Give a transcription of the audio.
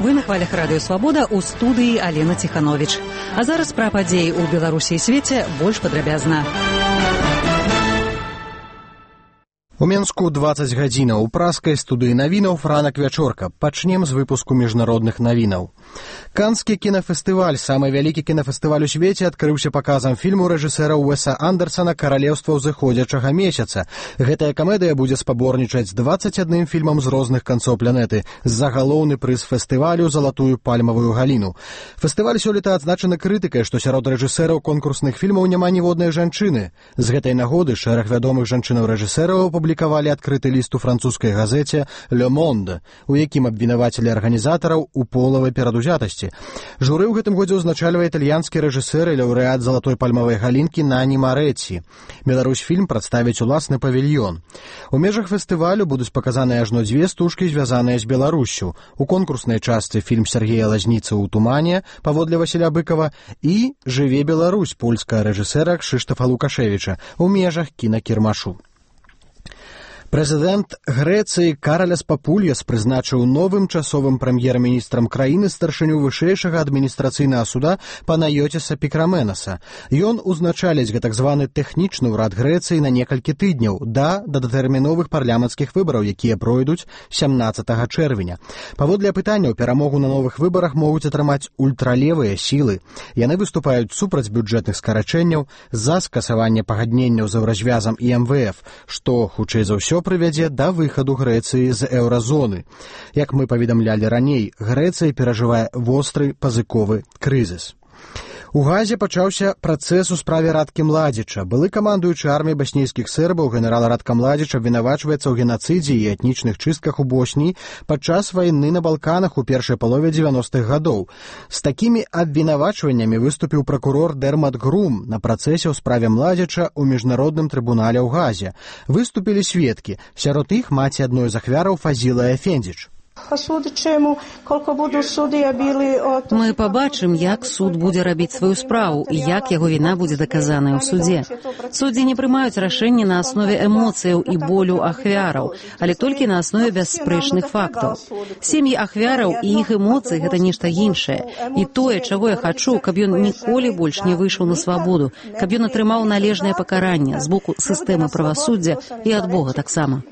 Вы на хвалях радыё «Свабода», у студыі Алена Ціхановіч. А зараз пра падзеі ў Беларусі і свеце больш падрабязна. У Менску 20 гадзінаў. У праскай студыі навінаў «Ранак вячорка». Пачнем з выпуску міжнародных навінаў. Канскі кінафестываль, самы вялікі кінафестываль у свеце, адкрыўся паказам фільму рэжысэра Уэса Андерсана «Каралеўства ўзыходзячага месяца». Гэтая камедыя будзе спаборнічаць з 21 фільмам з розных канцоў планеты за галоўны прыз фестывалю «Залатую пальмавую галіну». Фестываль сёлета адзначаны крытыкай, што сярод рэжысэраў конкурсных фільмаў няма ніводнай жанчыны. З гэтай нагоды шэраг вядомых жанчынаў-рэжысэраў апублікавалі адкрыты ліст у французскай газеце «Le Monde», у якім абвінавацілі арганізатараў у полавай перадузятасці. Журы ў гэтым годзе ўзначальвае італьянскі рэжысэр і лаўрэат залатой пальмавай галінкі Нані Марэцці. Беларусьфільм прадставіць уласны павільён. У межах фестывалю будуць паказаныя ажно 2 стужкі, звязаныя з Беларуссю. У конкурснай частцы фільм Сергея Лазніцы «У тумане» паводле Васіля Быкова і «Жыве Беларусь» польскага рэжысэра Кшыштафа Лукашевіча у межах кінакірмашу. Прэзідэнт Грэцыі Караляс Папульяс прызначыў новым часовым прэм'ер-міністрам краіны старшыню вышэйшага адміністрацыйнага суда Панайотіса Пікраменаса. Ён узначаліць гэтак званы тэхнічны ўрад Грэцыі на некалькі тыдняў да датэрміновых парламенцкіх выбараў, якія пройдуць 17 чэрвеня. Паводле апытанняў, перамогу на новых выбарах могуць атрымаць ультралевыя сілы. Яны выступаюць супраць бюджэтных скарачэнняў, за скасаванне пагадненняў з еўразвязам і МВФ, што, хутчэй за ўсё, прывядзе да выхаду Грэцыі з еўразоны. Як мы паведамлялі раней, Грэцыя перажывае востры пазыковы крызіс. У Газе пачаўся працэс у справе Радкі Младзіча. Былы камандуючы арміяй баснійскіх сербаў генерал Радка Младзіч абвінавачваецца ў генацыдзе і этнічных чыстках у Босніі падчас вайны на Балканах у першай палове 90-х гадоў. З такімі абвінавачваннямі выступіў пракурор Дермат Грум на працэсе ў справе Младзіча ў міжнародным трыбунале ў Газе. Выступілі сведкі, сярод іх маці адной з ахвяраў Фазіла Ефендзіч. Мы пабачым, як суд будзе рабіць сваю справу і як яго віна будзе даказаная ў судзе. Суддзі не прымаюць рашэнні на аснове эмоцыяў і болю ахвяраў, але толькі на аснове бясспрэчных фактаў. Сем'і ахвяраў і іх эмоцыі – гэта нешта іншае. І тое, чаго я хачу, каб ён ніколі больш не выйшаў на свабоду, каб ён атрымаў належнае пакаранне з боку сістэмы правасуддзя і ад Бога таксама.